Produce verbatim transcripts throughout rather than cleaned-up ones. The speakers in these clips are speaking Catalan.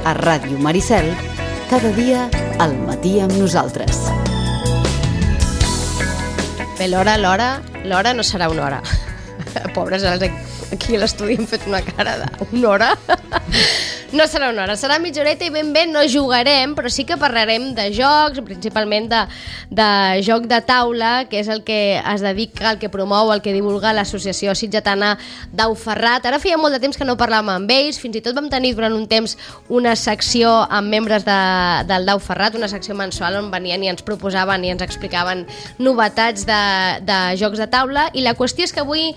a Ràdio Maricel, cada dia al matí amb nosaltres. Bé, l'hora, l'hora, l'hora no serà una hora. Pobres, aquí a l'estudi hem fet una cara d'una hora. No serà una hora, serà mitja horeta i ben bé no jugarem, però sí que parlarem de jocs, principalment de, de joc de taula, que és el que es dedica, el que promou, el que divulga l'associació sitgetana Dau Ferrat. Ara feia molt de temps que no parlàvem amb ells, fins i tot vam tenir durant un temps una secció amb membres de, del Dau Ferrat, una secció mensual on venien i ens proposaven i ens explicaven novetats de, de jocs de taula, i la qüestió és que avui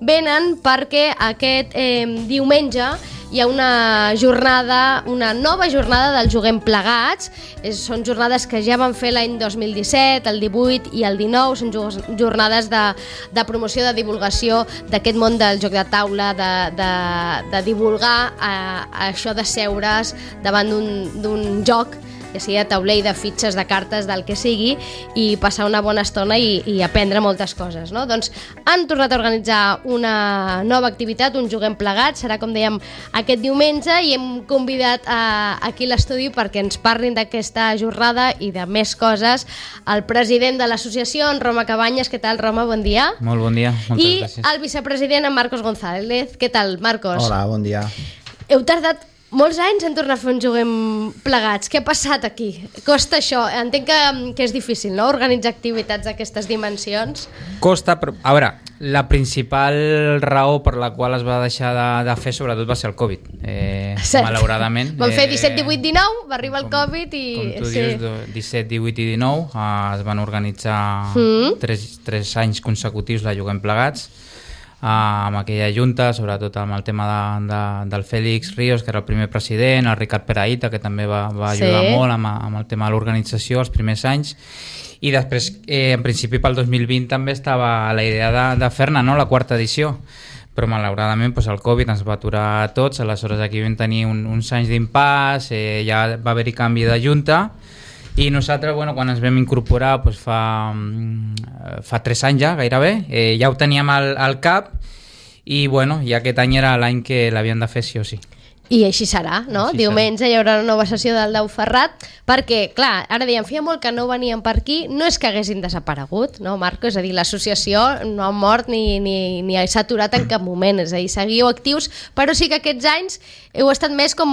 venen perquè aquest eh, diumenge hi ha una jornada, una nova jornada del Juguem Plegats. És, són jornades que ja van fer l'any dos mil disset, el divuit i el dinou. Són jornades de, de promoció, de divulgació d'aquest món del joc de taula, de, de, de divulgar eh, això de seure's davant d'un joc, ja sigui de tauler, de fitxes, de cartes, del que sigui, i passar una bona estona i, i aprendre moltes coses, no? Doncs han tornat a organitzar una nova activitat, un Juguem Plegats, serà, com dèiem, aquest diumenge, i hem convidat a, aquí a l'estudi perquè ens parlin d'aquesta jornada i de més coses el president de l'associació, en Roma Cabanyes. Què tal, Roma? Bon dia. Molt bon dia, moltes I gràcies. el vicepresident, en Marcos González. Què tal, Marcos? Hola, bon dia. Heu tardat molts anys en tornar a fer un Juguem Plegats. Què ha passat aquí? Costa això? Entenc que, que és difícil, no?, organitzar activitats d'aquestes dimensions. Costa, però, a veure, la principal raó per la qual es va deixar de, de fer sobretot va ser el Covid, eh, malauradament. Van fer eh, disset, divuit, dinou, va arribar el com, Covid i... Com tu sí. dius, disset, divuit i dinou eh, es van organitzar Mm. tres, tres anys consecutius de Juguem Plegats, amb aquella junta, sobretot amb el tema de, de, del Félix Ríos, que era el primer president, el Ricard Peraïta, que també va, va ajudar Sí. molt amb, amb el tema de l'organització els primers anys, i després, eh, en principi pel dos mil vint també estava la idea de, de fer-ne, no?, la quarta edició, però malauradament doncs, el Covid ens va aturar a tots. Aleshores aquí vam tenir un, uns anys d'impàs, eh, ja va haver-hi canvi de junta, i nosaltres, bueno, quan ens vam incorporar doncs fa, fa tres anys ja, gairebé, eh, ja ho teníem al, al cap, i bueno, i aquest any era l'any que l'havien de fer sí o sí. I així serà, no? Així Diumenge hi haurà una nova sessió del Dau Ferrat, perquè, clar, ara dèiem, feia molt que no venien per aquí, no és que haguessin desaparegut, no, Marco? És a dir, l'associació no ha mort ni, ni, ni s'ha aturat en cap moment, és a dir, seguiu actius, però sí que aquests anys heu estat més com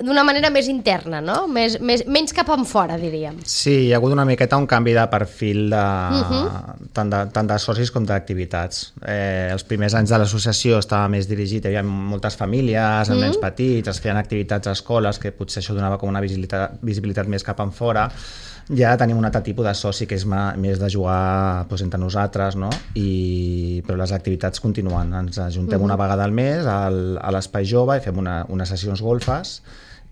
d'una manera més interna, no? Més, més, menys cap en fora, diríem. Sí, hi ha hagut una miqueta un canvi de perfil de, Uh-huh. tant, de, tant de socis com d'activitats. Eh, els primers anys de l'associació estava més dirigit, hi havia moltes famílies, amb Mm. nens petits, es feien activitats a escoles, que potser això donava com una visibilitat, visibilitat més cap en fora. Ja tenim un altre tipus de soci que és ma, més de jugar doncs, entre nosaltres, no? I, però les activitats continuen. Ens ajuntem Mhm. una vegada al mes al, a l'Espai Jove i fem una, unes sessions golfes,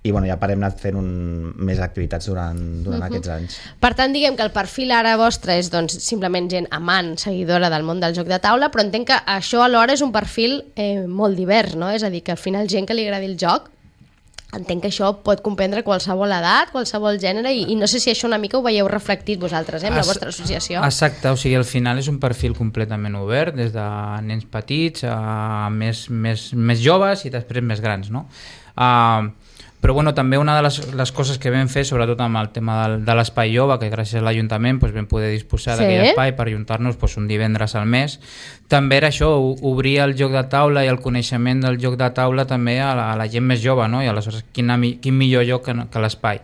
i bueno, ja parem anat fent un, més activitats durant, durant Mhm. aquests anys. Per tant, diguem que el perfil ara vostre és doncs, simplement gent amant, seguidora del món del joc de taula, però entenc que això alhora és un perfil eh, molt divers, no? És a dir, que al final gent que li agradi el joc, entenc que això pot comprendre qualsevol edat, qualsevol gènere, i, i no sé si això una mica ho veieu reflectit vosaltres, eh, amb la vostra associació. Exacte, o sigui, al final és un perfil completament obert, des de nens petits a més, més, més joves i després més grans, no? Uh, però bueno, també una de les, les coses que vam fer, sobretot amb el tema del, de l'espai jove, que gràcies a l'Ajuntament doncs, vam poder disposar Sí. d'aquell espai per ajuntar-nos doncs, un divendres al mes, també era això, obrir el joc de taula i el coneixement del joc de taula també a la, a la gent més jove, no? I aleshores quin, quin millor lloc que, que l'espai.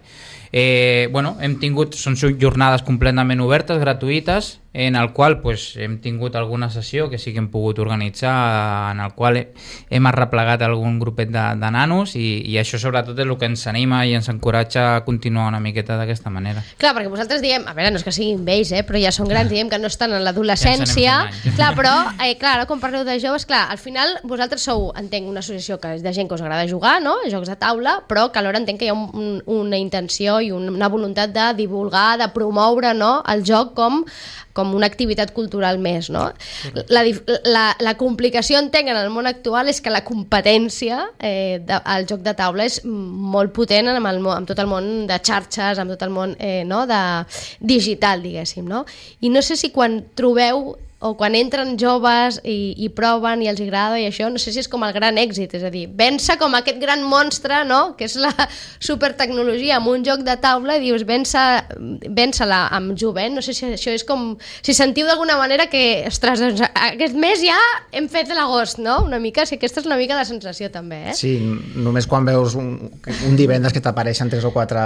Eh, bueno, hem tingut, són jornades completament obertes, gratuïtes, en el qual pues, hem tingut alguna sessió que sí que hem pogut organitzar, en el qual hem arreplegat algun grupet de, de nanos, i, i això sobretot és el que ens anima i ens encoratja a continuar una miqueta d'aquesta manera. Clar, perquè vosaltres diem, a veure, no és que siguin vells, eh, però ja són grans, diem que no estan en l'adolescència. Ja ens anem fent Clar, però, eh, clar, ara quan parleu de joves, clar, al final vosaltres sou, entenc, una associació que és de gent que us agrada jugar, no?, jocs de taula, però que alhora entenc que hi ha un, un, una intenció i una voluntat de divulgar, de promoure, no?, el joc com com una activitat cultural més, no? La, la, la complicació, entenc, en el món actual és que la competència eh, de, al joc de taula és molt potent amb, el, amb tot el món de xarxes, amb tot el món eh, no? de digital, diguéssim, no? I no sé si quan trobeu o quan entren joves i, i proven i els agrada i això, no sé si és com el gran èxit, és a dir, vèncer com aquest gran monstre, no?, que és la supertecnologia amb un joc de taula, i dius, vèncer-la amb jovent, no sé si això és com, si sentiu d'alguna manera que, ostres, doncs, aquest mes ja hem fet l'agost, no?, una mica, si aquesta és una mica la sensació també, eh? Sí, només quan veus un, un divendres que t'apareixen tres o quatre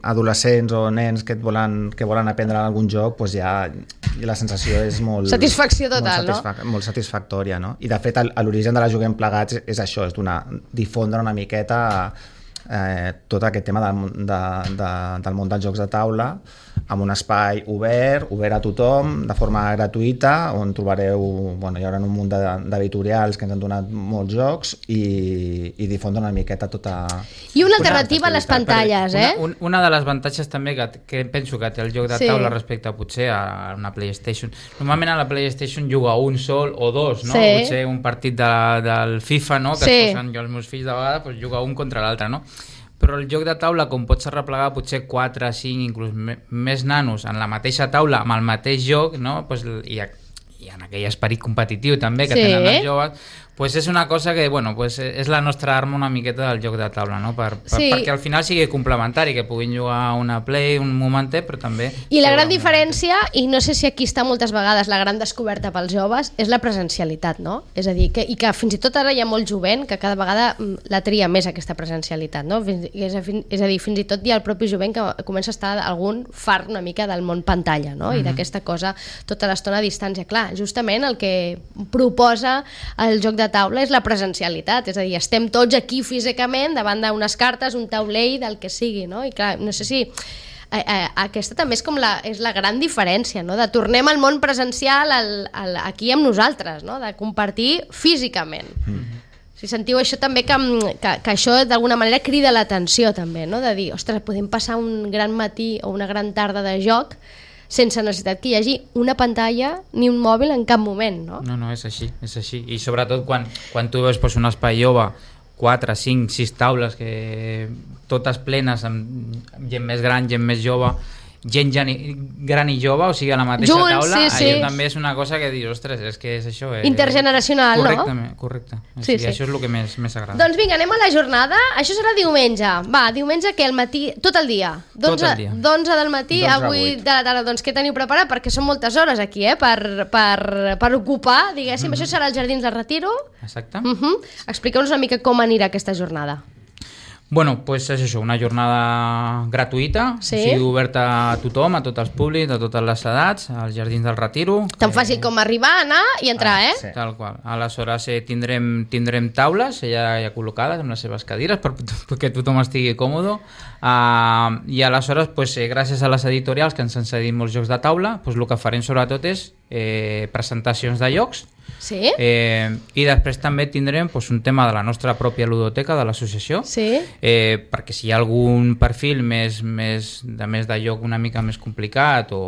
adolescents o nens que et volen, que volen aprendre algun joc, doncs ja la sensació és molt... Satisfacció total, molt satisfac no? Molt satisfactòria, no? I de fet, l'origen de la Juguem Plegats és això, és donar, difondre una miqueta eh, tot aquest tema del, de, de, del món dels jocs de taula, amb un espai obert, obert a tothom, de forma gratuïta, on trobareu, bueno, hi haurà un munt d'editorials que ens han donat molts jocs i, i difondre una miqueta tota... I una alternativa a les pantalles, eh? Una, una de les avantatges també que, que penso que té el joc de sí. taula respecte a potser a una PlayStation. Normalment a la PlayStation juga un sol o dos, no? Sí. Potser un partit de, del FIFA, no? Que sí. es posen jo els meus fills de vegades, pues, juga un contra l'altre, no? Però el joc de taula, com pots arreplegar potser quatre, cinc, inclús més nanos en la mateixa taula, amb el mateix joc, no? Pues, i, i en aquell esperit competitiu també que sí. tenen els joves, pues és una cosa que, bueno, pues és la nostra arma una miqueta del joc de taula, no? Per, per, sí. perquè al final sigui complementari, que puguin jugar una Play un momentet, però també... I la gran diferència, i no sé si aquí està moltes vegades la gran descoberta pels joves, és la presencialitat, no? És a dir, que, i que fins i tot ara hi ha molt jovent que cada vegada la tria més aquesta presencialitat, no? És a, és a dir, fins i tot hi ha el propi jovent que comença a estar algun fart una mica del món pantalla, no? I mm-hmm. d'aquesta cosa tota l'estona a distància. Clar, justament el que proposa el joc de taula és la presencialitat, és a dir, estem tots aquí físicament davant d'unes cartes, un taulell, del que sigui, no? I clar, no sé si eh, eh, aquesta també és com la, és la gran diferència, no? De tornem al món presencial al, al, aquí amb nosaltres, no? De compartir físicament. Mm. Si sentiu això també, que, que, que això d'alguna manera crida l'atenció també, no? De dir, ostres, podem passar un gran matí o una gran tarda de joc sense necessitat que hi hagi una pantalla ni un mòbil en cap moment, no? No, no, és així, és així. I sobretot quan, quan tu veus pues, un espai jove, quatre, cinc, sis taules, que totes plenes, amb gent més gran, gent més jove, gent gran i jove, o sigui, a la mateixa Junts, taula, sí, sí. allò també és una cosa que dius, ostres, és que és això. Eh? Intergeneracional, correcte, no? Correcte, o sí, sigui, sí. això és el que més, més agrada. Doncs vinga, anem a la jornada. Això serà diumenge. Va, diumenge que al matí, tot el dia. Tot el dia. d'onze del matí a vuit de la tarda. Doncs què teniu preparat? Perquè són moltes hores aquí, eh? Per, per, per ocupar, diguéssim. Mm-hmm. Això serà als Jardins del Retiro. Exacte. Mm-hmm. Expliqueu-nos una mica com anirà aquesta jornada. Bueno, pues és això, una jornada gratuïta, sí? O sigui, oberta a tothom, a tots els públics, a totes les edats, als Jardins del Retiro. Tan que... fàcil com arribar, anar i entrar, ah, eh? Sí. Tal qual. Aleshores eh, tindrem, tindrem taules ja, ja col·locades amb les seves cadires per, perquè tothom estigui còmode. Uh, I aleshores, pues, eh, gràcies a les editorials que ens han cedit molts jocs de taula, pues, el que farem sobretot és eh, presentacions de jocs. Sí? Eh, I després també tindrem pues, un tema de la nostra pròpia ludoteca de l'associació, sí? eh, perquè si hi ha algun perfil més, més, de més de joc una mica més complicat o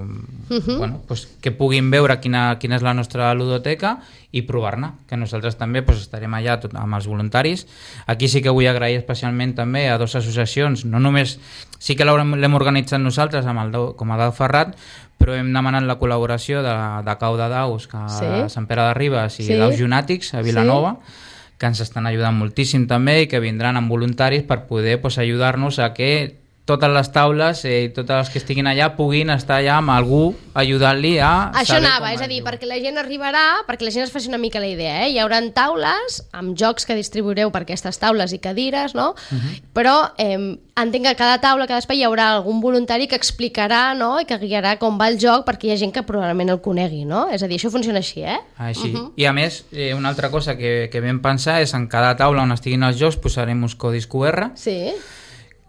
uh-huh. bueno, pues, que puguin veure quina, quina és la nostra ludoteca i provar-ne, que nosaltres també pues, estarem allà tot, amb els voluntaris. Aquí sí que vull agrair especialment també a dues associacions, no només sí que l'hem organitzat nosaltres amb el, com a Dau Ferrat, però hem demanat la col·laboració de, de Cau de Daus, que sí? A Sant Pere de Ribes i sí? Daus Junàtics a Vilanova, sí? Que ens estan ajudant moltíssim també i que vindran amb voluntaris per poder pues, ajudar-nos a que totes les taules i eh, totes les que estiguin allà puguin estar allà amb algú ajudant-li a això anava, és a dir, perquè la gent arribarà, perquè la gent es faci una mica la idea, eh? Hi haurà taules amb jocs que distribuireu per aquestes taules i cadires, no? Uh-huh. Però eh, entenc que a cada taula, a cada espai hi haurà algun voluntari que explicarà, no? I que guiarà com va el joc perquè hi ha gent que probablement el conegui, no? És a dir, això funciona així, eh? Així. Uh-huh. I a més, eh, una altra cosa que, que vam pensar és en cada taula on estiguin els jocs posarem uns codis Q R. Sí.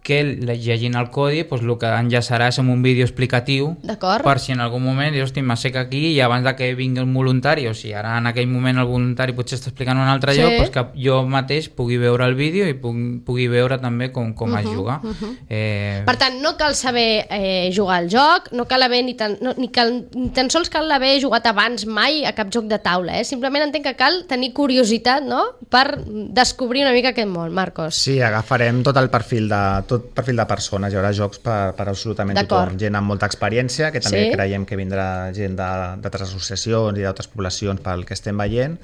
Que llegint el codi pues, el que enllaçarà és amb un vídeo explicatiu per si en algun moment dius, hosti, m'assec aquí i abans de que vingui el voluntari, o si ara en aquell moment el voluntari potser està explicant un altre sí. lloc, pues, que jo mateix pugui veure el vídeo i pugui, pugui veure també com, com uh-huh, es juga. Uh-huh. Eh... Per tant, no cal saber eh, jugar al joc, no cal haver ni tan, no, ni, cal, ni tan sols cal haver jugat abans mai a cap joc de taula, eh? Simplement entenc que cal tenir curiositat, no?, per descobrir una mica aquest món. Marcos. Sí, agafarem tot el perfil de tot tot perfil de persones, hi haurà jocs per, per absolutament tothom. Gent amb molta experiència, que també sí. creiem que vindrà gent d'altres associacions i d'altres poblacions pel que estem veient.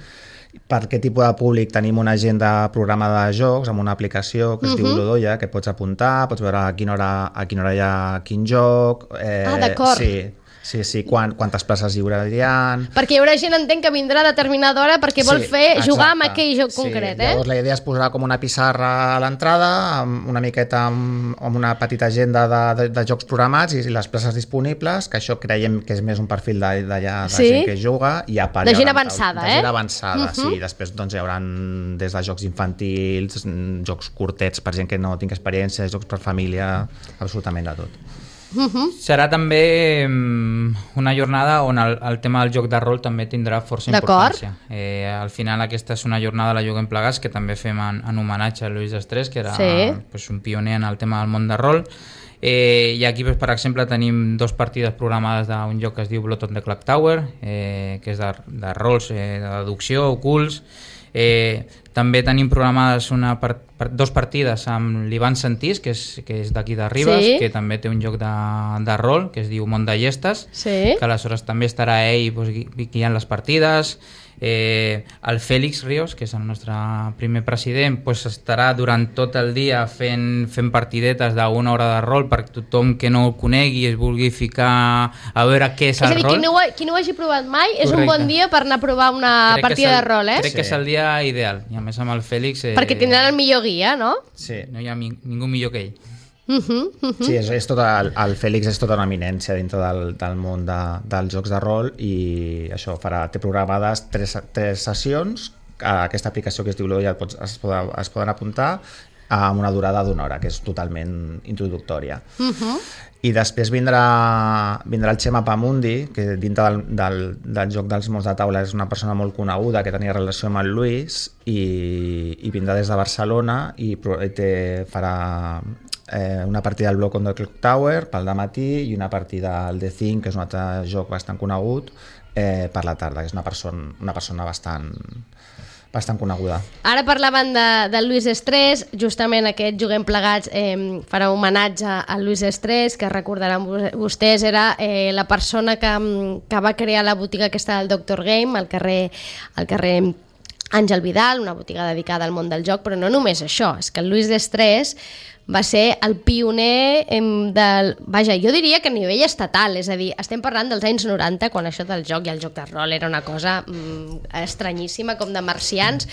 Per aquest tipus de públic tenim una agenda programada de jocs amb una aplicació que es uh-huh. diu Ludoia, que pots apuntar, pots veure a quina hora, a quina hora hi ha quin joc. Eh, ah, d'acord. Sí, sí, sí, Quant, quantes places lliures hi ha. Perquè hi haurà gent, entenc, que vindrà a determinada hora perquè vol sí, fer exacte. jugar amb aquell joc sí, concret, eh? Llavors la idea és posar com una pissarra a l'entrada, amb una miqueta amb, amb una petita agenda de, de, de jocs programats i les places disponibles, que això creiem que és més un perfil d'allà de, de sí? gent que juga. I a part, de gent avançada, de, eh? De gent avançada, uh-huh. sí. Després doncs, hi haurà des de jocs infantils, jocs curtets per gent que no tingui experiència, jocs per família, absolutament de tot. Uh-huh. Serà també una jornada on el, el tema del joc de rol també tindrà força importància. Eh, al final aquesta és una jornada la Juguem Plegats que també fem en, en homenatge a Luis Estrès, que era sí. pues, un pioner en el tema del món de rol. Eh, I aquí, pues, per exemple, tenim dos partides programades d'un joc que es diu Blood on the Clock Tower, eh, que és de, de rols, eh, de deducció, ocults. Eh, també tenim programades una part, part, dos partides amb l'Ivan Santís, que és, que és d'aquí de Ribes, sí. que també té un joc de, de rol, que es diu Món de Llestes, sí. que aleshores també estarà ell pues, guiant les partides. Eh, el Fèlix Ríos, que és el nostre primer president, pues, estarà durant tot el dia fent, fent partidetes d'una hora de rol per tothom que no el conegui i es vulgui ficar a veure què és, és el dir, rol. Qui no, ho, qui no ho hagi provat mai és Correcte. un bon dia per anar a provar una crec partida el, de rol, eh? Crec sí. que és el dia ideal, i a més amb el Fèlix... Eh, perquè tindran el millor guia, no? Sí. No hi ha mi, ningú millor que ell. Uh -huh, uh -huh. Sí, és, és tot el, el Fèlix és tota una eminència dintre del, del món de, dels jocs de rol i això farà, té programades tres, tres sessions a aquesta aplicació que es diu Ludoia es, poden, es poden apuntar amb una durada d'una hora, que és totalment introductòria. Uh -huh. I després vindrà, vindrà el Xema Pamundi, que dintre del, del, del joc dels mons de taula és una persona molt coneguda que tenia relació amb el Luis i, i vindrà des de Barcelona i té, farà eh, una partida del Block on the Clock Tower pel dematí i una partida al The Thing, que és un altre joc bastant conegut, eh, per la tarda, que és una persona, una persona bastant... bastant coneguda. Ara parlaven de, de Luis Estrès, justament aquest Juguem Plegats eh, farà homenatge a Luis Estrès, que recordaran vostès, era eh, la persona que, que va crear la botiga aquesta del Doctor Game al carrer, al carrer Àngel Vidal, una botiga dedicada al món del joc, però no només això, és que el Luis Estrès va ser el pioner del... Vaja, jo diria que a nivell estatal, és a dir, estem parlant dels anys noranta, quan això del joc i el joc de rol era una cosa mm, estranyíssima, com de marcians.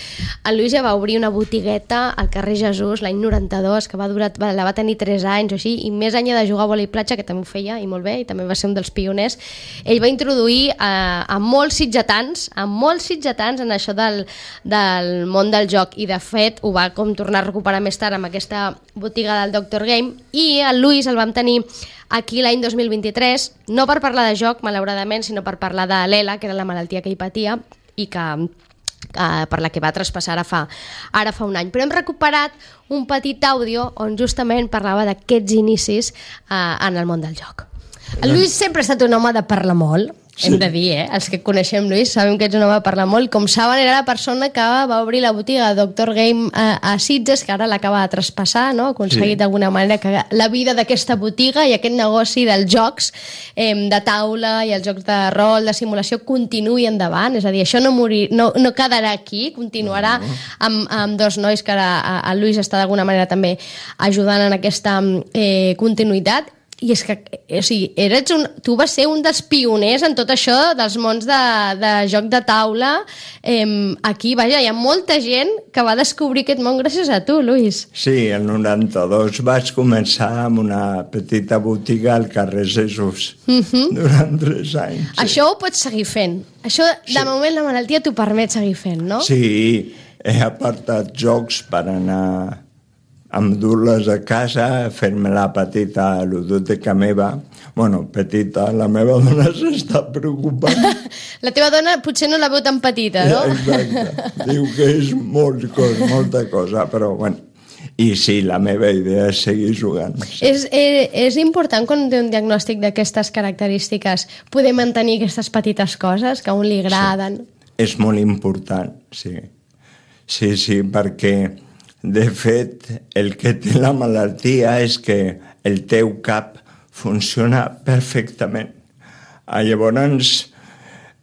El Lluís ja va obrir una botigueta al carrer Jesús l'any noranta-dos, que va durar, la va tenir tres anys o així, i més anys de jugar a vòlei platja, que també ho feia, i molt bé, i també va ser un dels pioners. Ell va introduir a, a molts sitgetans, a molts sitgetans en això del, del món del joc, i de fet ho va com tornar a recuperar més tard amb aquesta botiga del Doctor Game, i el Lluís el vam tenir aquí l'any dos mil vint-i-tres, no per parlar de joc, malauradament, sinó per parlar de l'E L A, que era la malaltia que ell patia i que, eh, per la que va traspassar ara fa, ara fa un any. Però hem recuperat un petit àudio on justament parlava d'aquests inicis eh, en el món del joc. El Lluís sempre ha estat un home de parlar molt, sí. Hem de dir, eh? Els que coneixem Lluís sabem que ets un home de parlar molt. Com saben, era la persona que va obrir la botiga de Doctor Game a, a Sitges, que ara l'acaba de traspassar, no? Ha aconseguit sí. d'alguna manera que la vida d'aquesta botiga i aquest negoci dels jocs eh, de taula i els jocs de rol, de simulació, continuï endavant. És a dir, això no, morir, no, no quedarà aquí, continuarà no. amb, amb dos nois que ara el Lluís està d'alguna manera també ajudant en aquesta eh, continuïtat. I és que, o sigui, eres un, tu vas ser un dels pioners en tot això dels mons de, de joc de taula. Eh, aquí, vaja, hi ha molta gent que va descobrir aquest món gràcies a tu, Lluís. Sí, el noranta-dos vaig començar amb una petita botiga al carrer Jesús, uh-huh. durant tres anys. Sí. Això ho pots seguir fent. Això, de sí. moment, la malaltia t'ho permet seguir fent, no? Sí, he apartat jocs per anar... endur-les a casa, fer-me la petita ludoteca meva. Bueno, petita, la meva dona s'està preocupant. La teva dona potser no la veu tan petita, no? Exacte. Diu que és molt cosa, molta cosa, però bueno. I sí, la meva idea és seguir jugant. Sí. És, és, és important quan té un diagnòstic d'aquestes característiques poder mantenir aquestes petites coses que a un li agraden. Sí. És molt important, sí. Sí, sí, perquè De fet, el que té la malaltia és que el teu cap funciona perfectament. Llavors,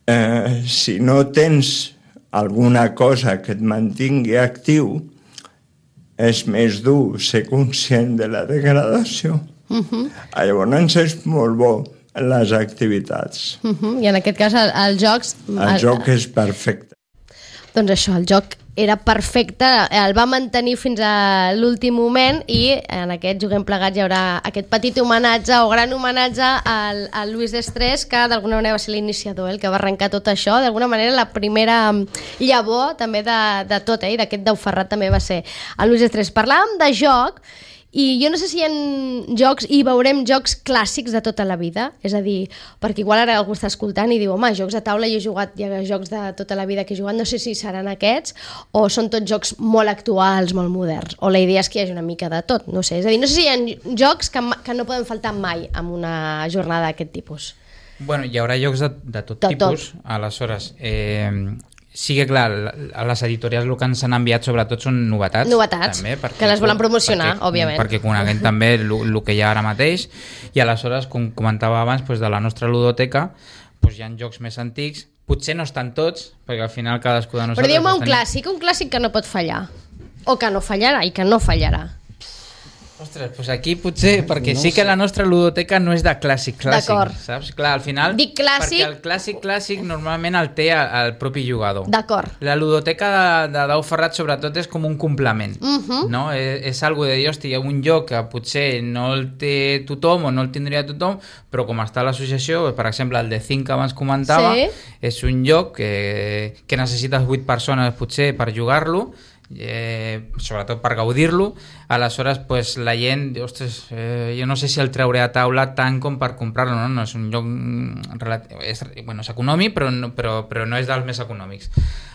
eh, si no tens alguna cosa que et mantingui actiu, és més dur ser conscient de la degradació. Uh-huh. Llavors és molt bo les activitats. Uh-huh. I en aquest cas el, els jocs... El, el joc és perfecte. Doncs això, el joc era perfecte, el va mantenir fins a l'últim moment i en aquest Juguem Plegats hi haurà aquest petit homenatge o gran homenatge al, al Luis Destrés, que d'alguna manera va ser l'iniciador, el que va arrencar tot això, d'alguna manera la primera llavor també de, de tot, eh? I d'aquest Dau Ferrat també va ser el Luis Destrés. Parlàvem de joc i jo no sé si hi ha jocs i veurem jocs clàssics de tota la vida, és a dir, perquè igual ara algú està escoltant i diu, home, jocs de taula, jo he jugat, hi ha jocs de tota la vida que he jugat, no sé si seran aquests o són tots jocs molt actuals, molt moderns, o la idea és que hi hagi una mica de tot, no sé, és a dir, no sé si hi ha jocs que, que no poden faltar mai en una jornada d'aquest tipus. Bueno, hi haurà jocs de, de tot de tipus, tot. Aleshores, eh, sí que clar, a les editorials el que ens han enviat sobretot són novetats. Novetats, també, perquè, que les volen promocionar, perquè, òbviament. Perquè coneguem també el que hi ha ara mateix i aleshores, com comentava abans, doncs de la nostra ludoteca doncs hi ha jocs més antics, potser no estan tots, perquè al final cadascú de nosaltres... Però digueu-me un clàssic, un clàssic que no pot fallar, o que no fallarà i que no fallarà. Ostres, doncs aquí potser, perquè no sí que sé. La nostra ludoteca no és de clàssic clàssic, saps? Clar, al final, dic clàssic... perquè el clàssic clàssic normalment el té el, el propi jugador. D'acord. La ludoteca de, de Dau Ferrat sobretot és com un complement, uh-huh. no? És, és algo de dir, hòstia, un joc que potser no el té tothom o no el tindria tothom, però com està a l'associació, per exemple, el de cinc que abans comentava, sí. És un joc que, que necessites vuit persones potser per jugar-lo, Eh, sobretot per gaudir-lo, aleshores pues, la gent ostres, eh, jo no sé si el trauré a taula tant com per comprar-lo, no? No és un lloc és, bueno, és econòmic però no, però, però no és dels més econòmics,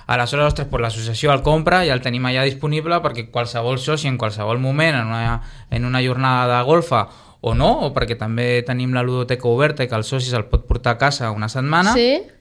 aleshores ostres, pues, l'associació el compra i el tenim allà disponible perquè qualsevol soci en qualsevol moment en una, en una jornada de golfa o no, o perquè també tenim la ludoteca oberta i que el soci se'l pot portar a casa una setmana, sí.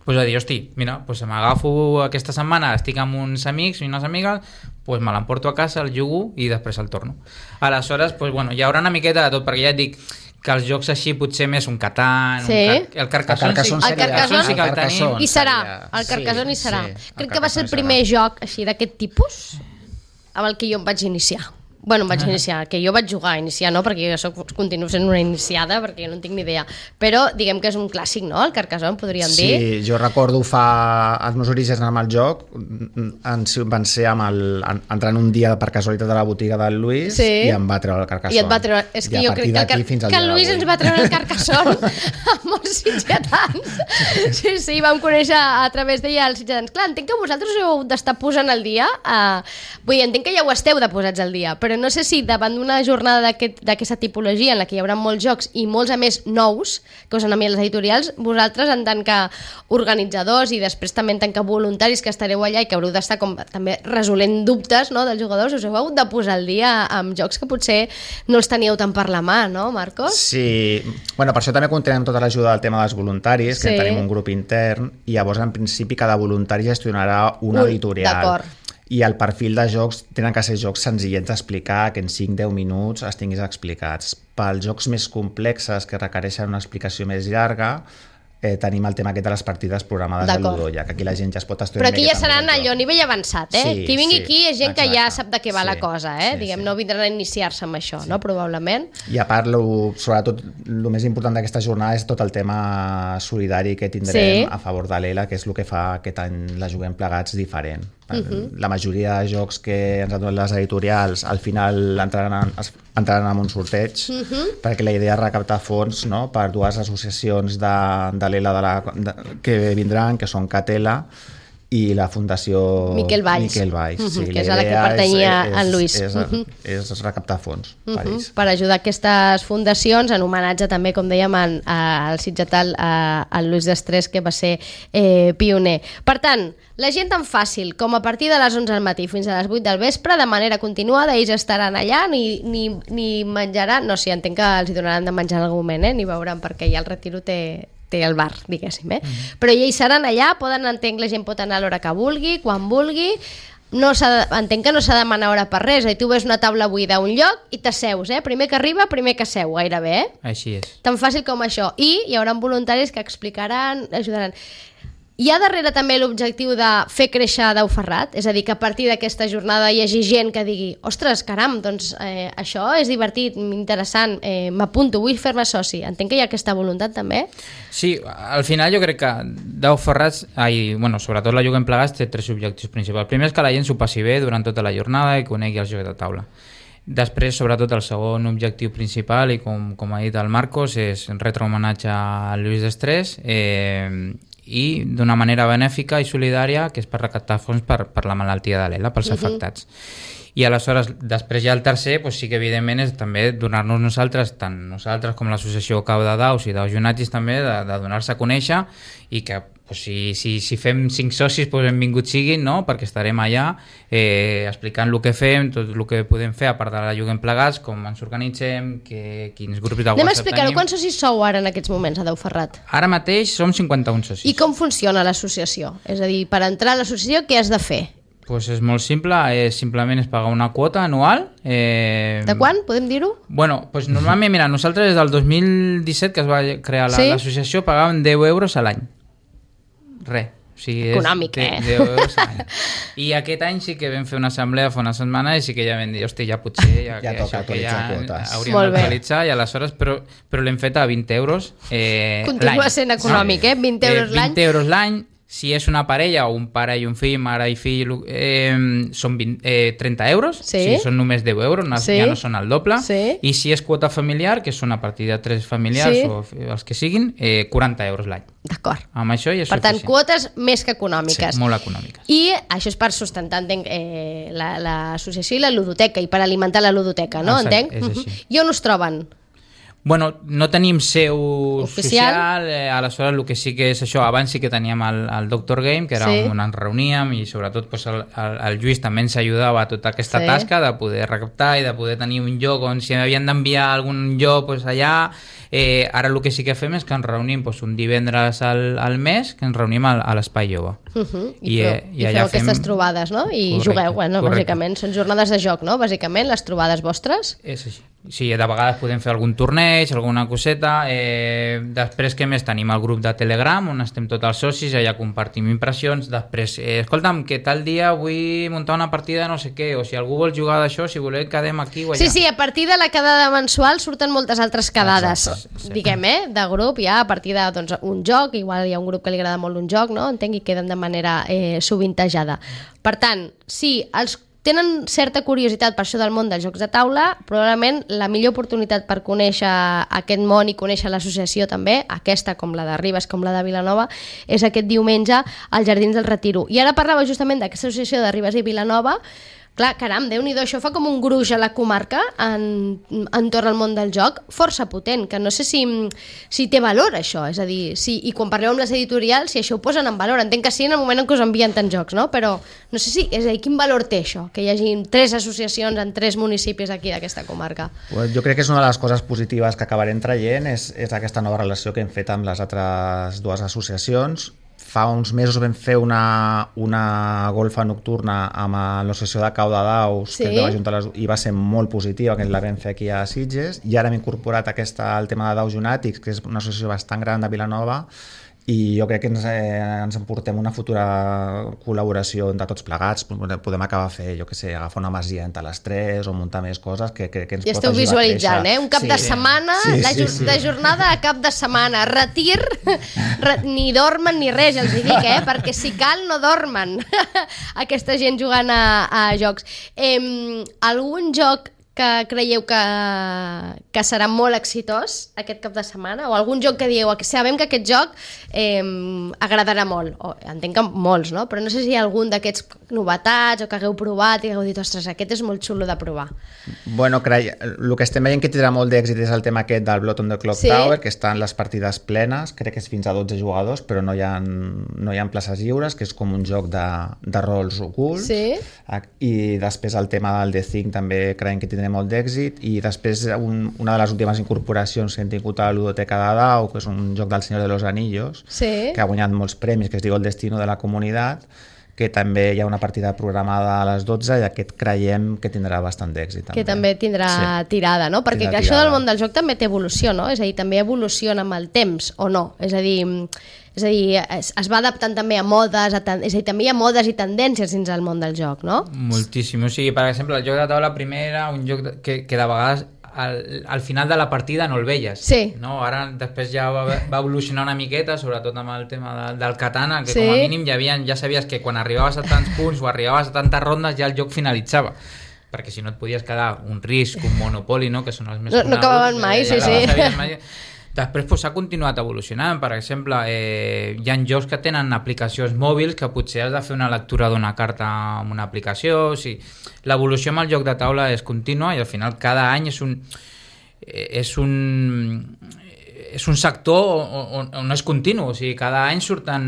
Pues a dir, hosti, mira, pues m'agafo aquesta setmana, estic amb uns amics i unes amigues, pues me l'emporto a casa, el jugo i després el torno. Aleshores, pues bueno, hi haurà una miqueta de tot, perquè ja et dic que els jocs així potser més un Catan, sí. un car el Carcassonne, el sí, el Carcassonne sí que el tenim. I serà, el Carcassonne hi serà. Sí, Crec que va ser el primer joc així d'aquest tipus amb el que jo em vaig iniciar. Bueno, em vaig iniciar, que jo vaig jugar a iniciar, no? Perquè jo soc, continuo sent una iniciada, perquè jo no en tinc ni idea. Però diguem que és un clàssic, no? El Carcassonne, podríem sí, dir. Sí, jo recordo fa... Els meus orígens amb el joc van ser amb el, entrant un dia per casualitat a la botiga del Luis, sí. I em va treure el Carcassonne. I et va treure... És que jo crec que el, car... que el Luis ens va treure el Carcassonne a molts sitgetans. Sí, sí, vam conèixer a través d'ella els sitgetans. Clar, entenc que vosaltres us heu d'estar posant al dia. Uh... Vull dir, entenc que ja ho esteu de posats al dia, però no sé si davant d'una jornada d'aquesta aquest, tipologia en la que hi haurà molts jocs i molts a més nous que us han enviat les editorials, vosaltres en tant que organitzadors i després també en tant que voluntaris que estareu allà i que haureu d'estar com també resolent dubtes, no, dels jugadors, us heu hagut de posar al dia amb jocs que potser no els teníeu tant per la mà, no, Marcos? Sí, bueno, per això també comptem tota l'ajuda del tema dels voluntaris, que sí. Tenim un grup intern i llavors en principi cada voluntari gestionarà una un, editorial. D'acord. I el perfil de jocs tenen que ser jocs senzillets d'explicar, que en cinc a deu minuts es tinguis explicats. Pels jocs més complexes que requereixen una explicació més llarga, eh, tenim el tema aquest de les partides programades de Ludoia, que aquí la gent ja es pot estudiar. Però aquí ja seran allò a nivell avançat, eh? Sí, qui vingui sí, aquí és gent exacte. Que ja sap de què va sí, la cosa, eh? Sí, Diguem, sí. no vindran a iniciar-se amb això, sí. No? Probablement. I a part, lo, sobretot, el més important d'aquesta jornada és tot el tema solidari que tindrem sí. A favor de l'Ela, que és el que fa aquest any la Juguem Plegats diferent. Uh-huh. La majoria de jocs que ens han donat les editorials al final entraran, en, entraran en un sorteig, uh-huh. Perquè la idea és recaptar fons, no? Per dues associacions de, de l'Ela de la, de, que vindran, que són Catela i la Fundació Miquel Valls, Miquel Valls. Uh-huh, sí, que és a la que pertanyia és, és, en Lluís. És, uh-huh. és, és recaptar fons uh-huh. per ells. Per ajudar aquestes fundacions, en homenatge també, com dèiem, en, al sitgetal, al Luis Destrés, que va ser eh, pioner. Per tant, la gent tan fàcil com a partir de les onze del matí fins a les vuit del vespre, de manera continuada, ells estaran allà, ni, ni, ni menjaran, no sé, sí, entenc que els hi donaran de menjar en algun moment, eh? Ni veuran, perquè ja el Retiro té, té el bar, diguéssim, eh? Mm-hmm. Però ells seran allà, poden, entenc, la gent pot anar a l'hora que vulgui, quan vulgui, no s'ha de, entenc que no s'ha de demanar hora per res, tu ves una taula buida a un lloc i t'asseus, eh? Primer que arriba, primer que seu, gairebé, eh? Així és. Tan fàcil com això. I hi haurà voluntaris que explicaran, ajudaran. Hi ha darrere també l'objectiu de fer créixer Dau Ferrat? És a dir, que a partir d'aquesta jornada hi hagi gent que digui ostres, caram, doncs eh, això és divertit, interessant, eh, m'apunto, vull fer-me soci. Entenc que hi ha aquesta voluntat també? Sí, al final jo crec que Dau Ferrat, ai, bueno, sobretot la Juguem Plegats, té tres objectius principals. El primer és que la gent s'ho passi bé durant tota la jornada i conegui els jocs de taula. Després, sobretot, el segon objectiu principal, i com, com ha dit el Marcos, és retre homenatge a Lluís Destrés, eh, i d'una manera benèfica i solidària, que és per recaptar fons per, per la malaltia de l'Ela, pels uh-huh. afectats. I aleshores, després ja el tercer, doncs sí que evidentment és també donar-nos nosaltres, tant nosaltres com l'associació Cau de Daus i Daus Junatis també, de, de donar-se a conèixer, i que doncs, si, si, si fem cinc socis, doncs benvinguts siguin, no? Perquè estarem allà eh, explicant el que fem, tot el que podem fer, a part de la Juguem Plegats, com ens organitzem, que, quins grups de WhatsApp tenim. Anem a explicar-ho, quants socis sou ara en aquests moments a Dau Ferrat? Ara mateix som cinquanta-un socis. I com funciona l'associació? És a dir, per entrar a l'associació, què has de fer? Pues és molt simple, és, simplement és pagar una quota anual. Eh... De quan? Podem dir-ho? Bueno, pues normalment, mira, nosaltres des del dos mil disset, que es va crear la, sí? l'associació, pagàvem deu euros a l'any. Res. O sigui, econòmic, és eh? deu euros a l'any. I aquest any sí que vam fer una assemblea fa una setmana i sí que ja vam dir, hosti, ja potser ja, ja que toca això que ja quotes. hauríem d'actualitzar, i aleshores, però, però l'hem fet a vint euros eh, l'any. Continua sent econòmic, no? eh? vint euros l'any. Eh, vint euros l'any. Si és una parella o un pare i un fill, mare i fill, eh, són vint, eh, trenta euros, sí. Si són només deu euros, no, sí. ja no són el doble, sí. I si és quota familiar, que són a partir de tres familiars sí. o els que siguin, eh, quaranta euros l'any. D'acord. Amb això ja és per tant, suficient. quotes més que econòmiques. Sí, molt econòmiques. I això és per sustentar, entenc, eh, l'associació la, i la ludoteca, i per alimentar la ludoteca, no? Exacte, entenc? és així. Uh-huh. I on us troben? Bueno, no tenim seu oficial, social, eh, aleshores el que sí que és això, abans sí que teníem el, el Doctor Game, que era sí. on ens reuníem, i sobretot pues, el, el, el Lluís també ens ajudava a tota aquesta sí. tasca de poder recaptar i de poder tenir un lloc on si havien d'enviar algun lloc pues, allà. Eh, ara el que sí que fem és que ens reunim pues, un divendres al, al mes, que ens reunim a, a l'Espai Jove. Uh-huh. I, I, feu, eh, i, i allà feu aquestes fem... trobades, no? I correcte, jugueu, bueno, correcte. Bàsicament. Són jornades de joc, no? Bàsicament, les trobades vostres. És així. Sí, de vegades podem fer algun torneig, alguna coseta. Eh, després, què més? Tenim el grup de Telegram, on estem tots els socis, allà compartim impressions. Després, eh, escolta'm, que tal dia vull muntar una partida de no sé què, o si algú vol jugar d'això, si voleu quedem aquí o allà. Sí, sí, a partir de la quedada mensual surten moltes altres quedades, exacte, diguem, eh, de grup, ja a partir de doncs, un joc, igual hi ha un grup que li agrada molt un joc, no? Entenc, i queden de manera eh, sovintejada. Per tant, sí, els tenen certa curiositat per això del món dels jocs de taula, probablement la millor oportunitat per conèixer aquest món i conèixer l'associació també, aquesta com la de Ribes, com la de Vilanova, és aquest diumenge als Jardins del Retiro. I ara parlava justament d'aquesta associació de Ribes i Vilanova. Clar, caram, Déu-n'hi-do, això fa com un gruix a la comarca en, entorn al món del joc, força potent, que no sé si, si té valor això, és a dir, si, i quan parleu amb les editorials, si això ho posen en valor, entenc que sí en el moment en què us envien tants jocs, no? Però no sé si, és a dir, quin valor té això, que hi hagi tres associacions en tres municipis aquí d'aquesta comarca? Pues jo crec que és una de les coses positives que acabarem traient, és, és aquesta nova relació que hem fet amb les altres dues associacions. Fa uns mesos vam fer una, una golfa nocturna amb l'associació de Cau de Daus, sí? que és de la Junta, i va ser molt positiva, que la vam fer aquí a Sitges, i ara hem incorporat aquesta, el tema de Daus Junàtics, que és una associació bastant gran de Vilanova, i jo crec que ens, eh, ens emportem una futura col·laboració de tots plegats. Podem acabar a fer, jo què sé, agafar una masia entre les tres o muntar més coses que, que, que ens I pot esteu ajudar visualitzant, a eh? Un cap sí. de setmana, sí, de, sí, sí. de jornada a cap de setmana, retir, re, ni dormen ni res, els hi dic, eh? Perquè si cal no dormen aquesta gent jugant a, a jocs. Eh, algun joc que creieu que, que serà molt exitós aquest cap de setmana, o algun joc que dieu, sabem que aquest joc eh, agradarà molt, o, entenc que molts, no? Però no sé si hi ha algun d'aquests novetats o que hagueu provat i hagueu dit, ostres, aquest és molt xulo de provar. Bueno, cre... el que estem veient que tindrà molt d'èxit és el tema aquest del Blood on the Clock sí. Tower, que estan les partides plenes, crec que és fins a dotze jugadors, però no hi ha, no hi ha places lliures, que és com un joc de, de rols ocults, sí. I després el tema del The Thing també creiem que tindrà molt d'èxit, i després un, una de les últimes incorporacions que hem tingut a la Ludoteca de Dau, que és un joc del Senyor de los Anillos, sí. que ha guanyat molts premis, que es diu El Destino de la Comunitat, que també hi ha una partida programada a les dotze i aquest creiem que tindrà bastant d'èxit. Que també tindrà sí. tirada, no? Perquè tindrà això tirada. del món del joc també té evolució, no? És a dir, també evoluciona amb el temps, o no? És a dir, és a dir es, es va adaptant també a modes, a ten... és a dir, també hi ha modes i tendències dins del món del joc, no? Moltíssim. O sigui, per exemple, el joc de taula primer era un joc de... que, que de vegades al, al final de la partida no el veies. Sí. No? Ara després ja va, va evolucionar una miqueta, sobretot amb el tema de, del katana, que sí. com a mínim ja, havien, ja sabies que quan arribaves a tants punts o arribaves a tantes rondes ja el joc finalitzava. Perquè si no et podies quedar un risc, un Monopoly, no? Que són els més no, no acabaven mai, ja, sí, ja sí. Mai. Després pues, s'ha continuat evolucionant. Per exemple, eh, hi ha jocs que tenen aplicacions mòbils que potser has de fer una lectura d'una carta amb una aplicació. O sigui, l'evolució amb el joc de taula és contínua i al final cada any és un és un és un sector on, on és continu, o sigui, cada any surten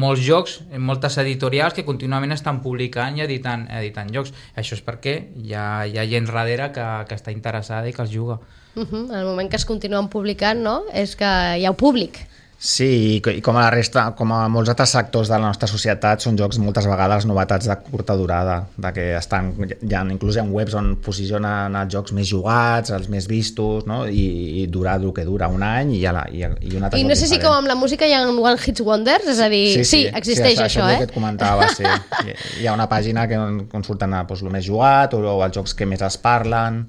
molts jocs, moltes editorials que contínuament estan publicant i editant, editant jocs. Això és perquè hi ha, hi ha gent darrere que, que està interessada i que els juga. Uh-huh. En el moment que es continuen publicant, no? És que hi ha públic. Sí, i com a la resta, com a molts altres sectors de la nostra societat, són jocs moltes vegades novetats de curta durada, de que estan, hi ha, inclús hi ha webs on posicionen els jocs més jugats, els més vistos, no? I, i durar el que dura, un any i, la, i, i un altre I no sé si com amb la música hi ha One Hit Wonders, és a dir, sí, sí, sí existeix sí, això, això eh? és el que et comentava, sí. Hi, hi ha una pàgina que, on surten doncs, el més jugat o, o els jocs que més es parlen.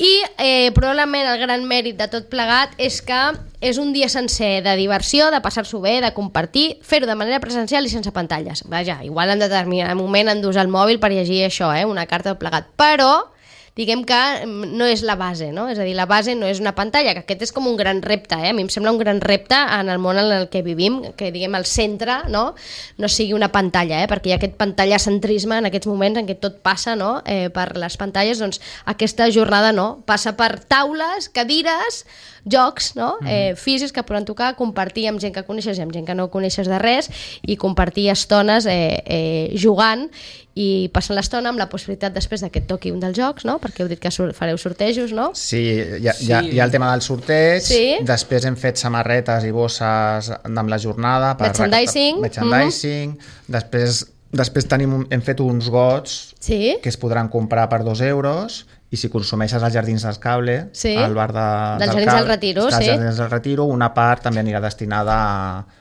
I eh, probablement el gran mèrit de tot plegat és que és un dia sencer de diversió, de passar-s'ho bé, de compartir, fer-ho de manera presencial i sense pantalles. Vaja, igual en determinat moment han d'usar el mòbil per llegir això, eh, una carta de plegat, però diguem que no és la base, no? És a dir, la base no és una pantalla, que aquest és com un gran repte, eh? A mi em sembla un gran repte en el món en el que vivim, que diguem el centre, no? No sigui una pantalla, eh? Perquè hi ha aquest pantallacentrisme en aquests moments en què tot passa, no? Eh, per les pantalles, doncs aquesta jornada no, passa per taules, cadires, jocs, no? Mm. Eh, físics que poden tocar, compartir amb gent que coneixes i amb gent que no coneixes de res i compartir estones eh, eh, jugant i passant l'estona amb la possibilitat després que et toqui un dels jocs, no? Perquè heu dit que fareu sortejos, no? Sí, hi ha, sí. Hi ha, hi ha el tema del sorteig, sí. Després hem fet samarretes i bosses amb la jornada per merchandising, merchandising. Mm-hmm. després, després tenim, hem fet uns gots sí. que es podran comprar per dos euros i si consumeixes als Jardins del Cable, sí. al bar de, dels del Jardins Cable, del Retiro, sí. Jardins del Retiro, una part també anirà destinada a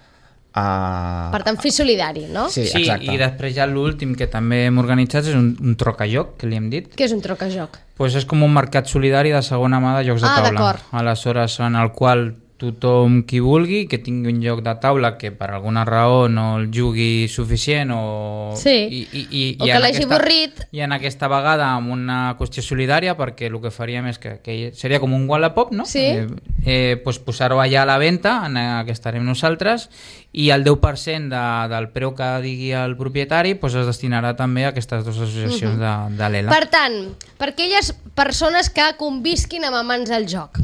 A... per tant, fer solidari, no? Sí, sí, i després ja l'últim que també hem organitzat és un, un trocajoc, que li hem dit. Què és un trocajoc? Pues és com un mercat solidari de segona mà de jocs de ah, taula. D'acord. Aleshores, en el qual tothom qui vulgui, que tingui un joc de taula que per alguna raó no el jugui suficient o... Sí, i, i, i, o i que l'hagi aquesta, avorrit. I en aquesta vegada amb una qüestió solidària, perquè el que faríem és que, que seria com un Wallapop, no? Sí. Eh, eh, pues posar-ho allà a la venda, en què estarem nosaltres, i el deu per cent de, del preu que digui el propietari pues es destinarà també a aquestes dues associacions uh-huh. de, de l'E L A. Per tant, per aquelles persones que convisquin amb amants del joc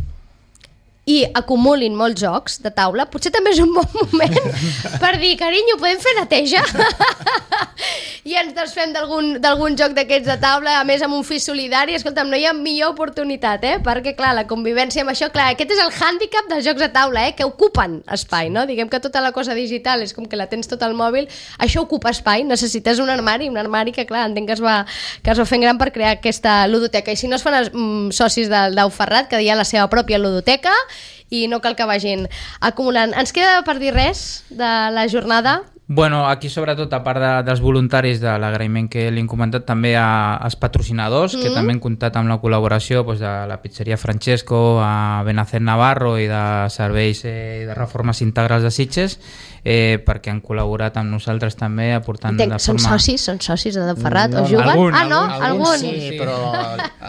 i acumulin molts jocs de taula, potser també és un bon moment per dir, carinyo, podem fer neteja? I ens desfem d'algun joc d'aquests de taula, a més amb un fi solidari. Escolta'm, no hi ha millor oportunitat, eh? Perquè, clar, la convivència amb això, clar, aquest és el hàndicap dels jocs de taula, eh? Que ocupen espai, no? Diguem que tota la cosa digital és com que la tens tot al mòbil, això ocupa espai, necessites un armari, un armari que, clar, entenc que es va, que es va fent gran per crear aquesta ludoteca. I si no es fan els mm, socis del Dau Ferrat, que hi ha la seva pròpia ludoteca, i no cal que vagin acumulant. Ens queda per dir res de la jornada? Bueno, aquí sobretot, a part de, dels voluntaris de l'agraïment que li hem comentat, també a, als patrocinadors, mm-hmm. que també han comptat amb la col·laboració pues, de la pizzeria Francesco, a Benacet Navarro i de serveis eh, de reformes integrals de Sitges, eh, perquè han col·laborat amb nosaltres també aportant Entenc, de forma... Són socis? Són socis de Dau Ferrat? No, o juguen? algun, ah, no? Algun, algun? sí, sí, però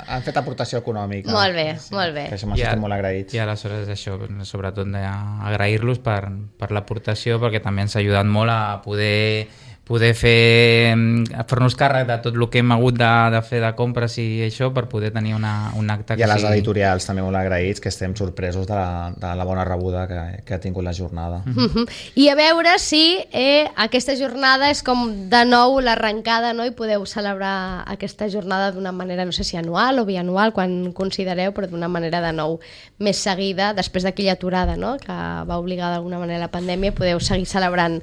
han fet aportació econòmica. Molt bé, sí, molt bé. Per això m'estem ja, molt agraïts. I aleshores això, sobretot d'agrair-los per, per l'aportació, perquè també ens ha ajudat molt a poder poder fer a fer-nos càrrec de tot el que hem hagut de, de fer de compres i això per poder tenir una, un acte que I a les sigui... editorials també molt agraïts, que estem sorpresos de la, de la bona rebuda que, que ha tingut la jornada. Mm-hmm. I a veure si eh, aquesta jornada és com de nou l'arrencada, no? I podeu celebrar aquesta jornada d'una manera, no sé si anual o bianual, quan considereu, però d'una manera de nou més seguida, després d'aquella aturada, no? Que va obligar d'alguna manera la pandèmia, podeu seguir celebrant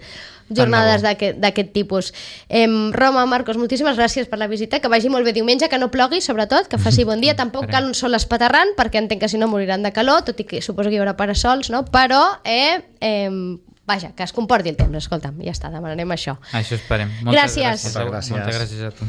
jornades d'aquest tipus. Eh, Roma, Marcos, moltíssimes gràcies per la visita, que vagi molt bé diumenge, que no plogui, sobretot, que faci bon dia, tampoc cal un sol espaterrant, perquè entenc que si no moriran de calor, tot i que suposo que hi haurà parasols, no? Però, eh, eh, vaja, que es comporti el temps, escolta'm, ja està, demanarem això. Això esperem. Moltes gràcies. gràcies. Moltes gràcies a tu.